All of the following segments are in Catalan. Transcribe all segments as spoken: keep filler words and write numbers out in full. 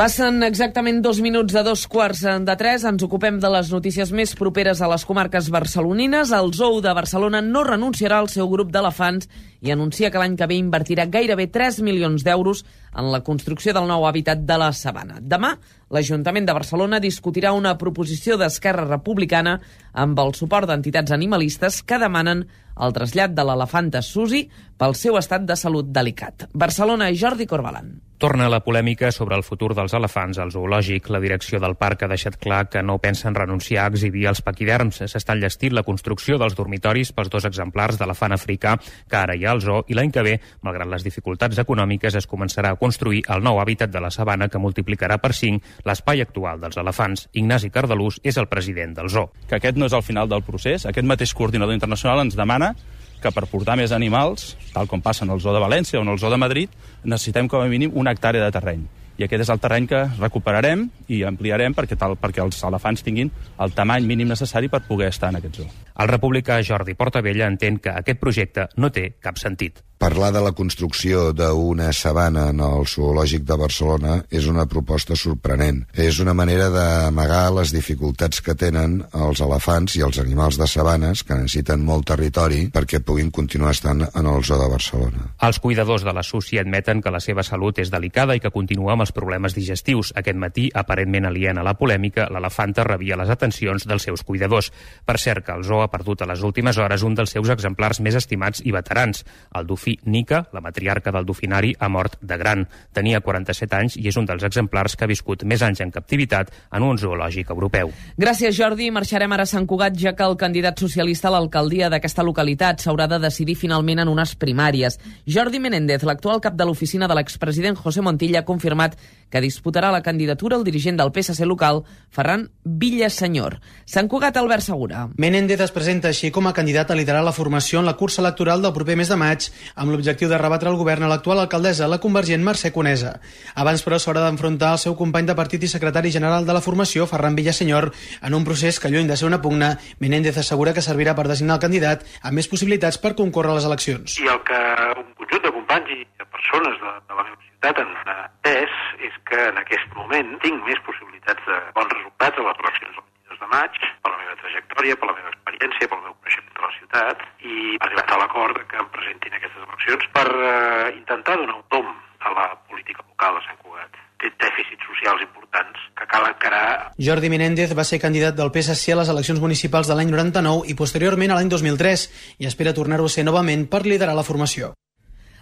Passen exactament dos minuts de dos quarts de tres. Ens ocupem de les notícies més properes a les comarques barcelonines. El Zoo de Barcelona no renunciarà al seu grup d'elefants i anuncia que l'any que ve invertirà gairebé tres milions d'euros en la construcció del nou hàbitat de la sabana. Demà, l'Ajuntament de Barcelona discutirà una proposició d'Esquerra Republicana amb el suport d'entitats animalistes que demanen el trasllat de l'elefanta Susi pel seu estat de salut delicat. Barcelona, Jordi Corbalan. Torna la polèmica sobre el futur dels elefants al zoològic. La direcció del parc ha deixat clar que no pensen renunciar a exhibir els paquiderms. S'està enllestint la construcció dels dormitoris pels dos exemplars d'elefant africà que ara hi ha al zoo i l'any que ve, malgrat les dificultats econòmiques, es començarà a construir el nou hàbitat de la sabana que multiplicarà per cinc l'espai actual dels elefants. Ignasi Cardalús és el president del zoo. Que aquest no és el final del procés. Aquest mateix coordinador internacional ens demana que per portar més animals, tal com passa en el zoo de València o en el zoo de Madrid, necessitem com a mínim una hectàrea de terreny. I aquest és el terreny que recuperarem i ampliarem perquè, tal, perquè els elefants tinguin el tamany mínim necessari per poder estar en aquest zoo. El republicà Jordi Portabella entén que aquest projecte no té cap sentit. Parlar de la construcció d'una sabana en el zoològic de Barcelona és una proposta sorprenent. És una manera d'amagar les dificultats que tenen els elefants i els animals de sabanes que necessiten molt territori perquè puguin continuar estant en el zoo de Barcelona. Els cuidadors de la Susi admeten que la seva salut és delicada i que continua amb els problemes digestius. Aquest matí, aparentment aliena a la polèmica, l'elefanta rebia les atencions dels seus cuidadors. Per cert, que el zoo ha perdut a les últimes hores un dels seus exemplars més estimats i veterans, el dofí Nica, la matriarca del dofinari, ha mort de gran. Tenia quaranta-set anys i és un dels exemplars que ha viscut més anys en captivitat en un zoològic europeu. Gràcies, Jordi. Marxarem ara a Sant Cugat, ja que el candidat socialista a l'alcaldia d'aquesta localitat s'haurà de decidir finalment en unes primàries. Jordi Menéndez, l'actual cap de l'oficina de l'expresident José Montilla, ha confirmat que disputarà la candidatura el dirigent del P S C local, Ferran Villasenyor. Sant Cugat, Albert Segura. Menéndez es presenta així com a candidat a liderar la formació en la cursa electoral del proper mes de maig, amb l'objectiu de rebatre el govern a l'actual alcaldessa, la convergent Mercè Conesa. Abans, però, s'haurà d'enfrontar el seu company de partit i secretari general de la formació, Ferran Villasenyor, en un procés que, lluny de ser una pugna, Menéndez assegura que servirà per designar el candidat amb més possibilitats per concórrer a les eleccions. I el que un conjunt de companys i de persones de, de la meva ciutat han entès és que en aquest moment tinc més possibilitats de bons resultats a les eleccions del vint-i-dos de maig, per la meva trajectòria, per la meva experiència, pel meu coneixement de la ciutat, i ha arribat a l'acord que em presentin aquestes eleccions per uh, intentar donar un tom a la política local de Sant Cugat. Té dèficits socials importants que cal encarar. Jordi Menéndez va ser candidat del P S C a les eleccions municipals de l'any noranta-nou i posteriorment a l'any dos mil tres i espera tornar-ho a ser novament per liderar la formació.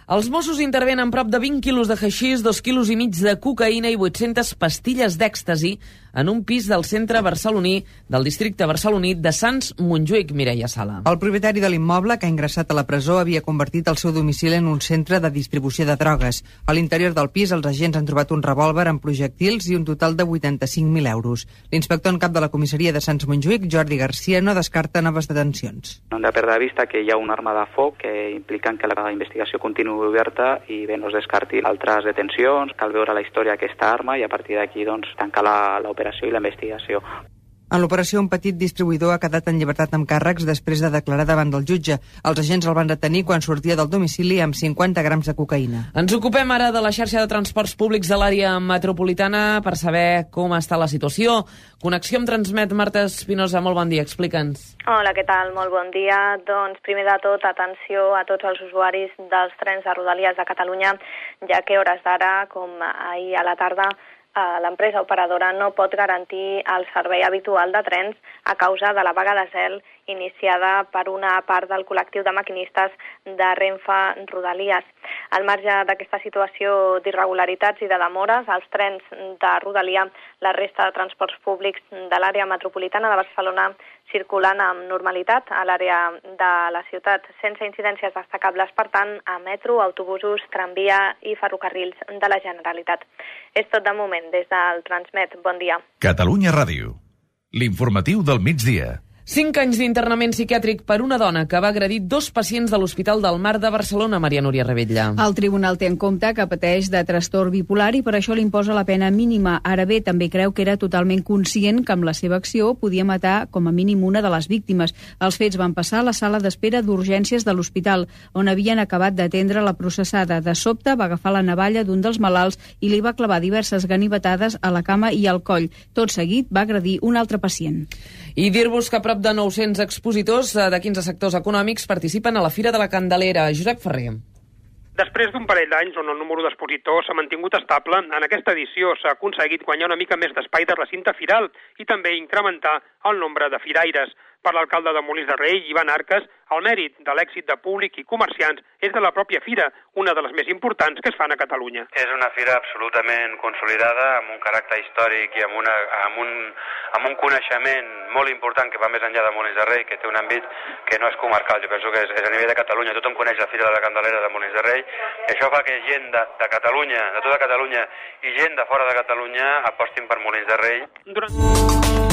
Els Mossos intervenen prop de vint quilos de haixís, dos quilos i mig de cocaïna i vuit-centes pastilles d'èxtasi en un pis del centre barceloní del districte barceloní de Sants Montjuïc, Mireia Sala. El propietari de l'immoble, que ha ingressat a la presó, havia convertit el seu domicili en un centre de distribució de drogues. A l'interior del pis, els agents han trobat un revòlver amb projectils i un total de vuitanta-cinc mil euros. L'inspector en cap de la comissaria de Sants Montjuïc, Jordi Garcia, no descarta noves detencions. No hem de perdre de vista que hi ha una arma de foc que impliquen que la investigació continuï oberta i bé, no es descartin altres detencions. Cal veure la història d'aquesta arma i a partir d'aquí doncs, tancar l'operació i la investigació. En l'operació, un petit distribuïdor ha quedat en llibertat amb càrrecs després de declarar davant del jutge. Els agents el van detenir quan sortia del domicili amb cinquanta grams de cocaïna. Ens ocupem ara de la xarxa de transports públics de l'àrea metropolitana per saber com està la situació. Connexió amb Transmet. Marta Espinosa, molt bon dia, explica'ns. Hola, què tal? Molt bon dia. Doncs primer de tot, atenció a tots els usuaris dels trens de Rodalies de Catalunya, ja que a hores d'ara, com ahir a la tarda, l'empresa operadora no pot garantir el servei habitual de trens a causa de la vaga de zel iniciada per una part del col·lectiu de maquinistes de Renfe Rodalies. Al marge d'aquesta situació d'irregularitats i de demores, els trens de Rodalia, la resta de transports públics de l'àrea metropolitana de Barcelona circulant amb normalitat a l'àrea de la ciutat, sense incidències destacables, per tant, a metro, autobusos, tramvia i ferrocarrils de la Generalitat. És tot de moment des del Transmet. Bon dia. Catalunya Ràdio. L'informatiu del migdia. Cinc anys d'internament psiquiàtric per una dona que va agredir dos pacients de l'Hospital del Mar de Barcelona, Maria Núria Rebetlla. El tribunal té en compte que pateix de trastorn bipolar i per això li imposa la pena mínima. Ara bé, també creu que era totalment conscient que amb la seva acció podia matar com a mínim una de les víctimes. Els fets van passar a la sala d'espera d'urgències de l'hospital, on havien acabat d'atendre la processada. De sobte va agafar la navalla d'un dels malalts i li va clavar diverses ganivetades a la cama i al coll. Tot seguit va agredir un altre pacient. I dir-vos que prop de nou-cents expositors de quinze sectors econòmics participen a la Fira de la Candelera. Josep Ferrer. Després d'un parell d'anys on el número d'expositors s'ha mantingut estable, en aquesta edició s'ha aconseguit guanyar una mica més d'espai de recinte firal i també incrementar el nombre de firaires. Per l'alcalde de Molins de Rei, Ivan Arques, el mèrit de l'èxit de públic i comerciants és de la pròpia fira, una de les més importants que es fan a Catalunya. És una fira absolutament consolidada, amb un caràcter històric i amb, una, amb, un, amb un coneixement molt important que va més enllà de Molins de Rei, que té un àmbit que no és comarcal. Jo penso que és, és a nivell de Catalunya. Tothom coneix la Fira de la Candelera de Molins de Rei i això fa que gent de, de Catalunya, de tota Catalunya i gent de fora de Catalunya apostin per Molins de Rei. Durant...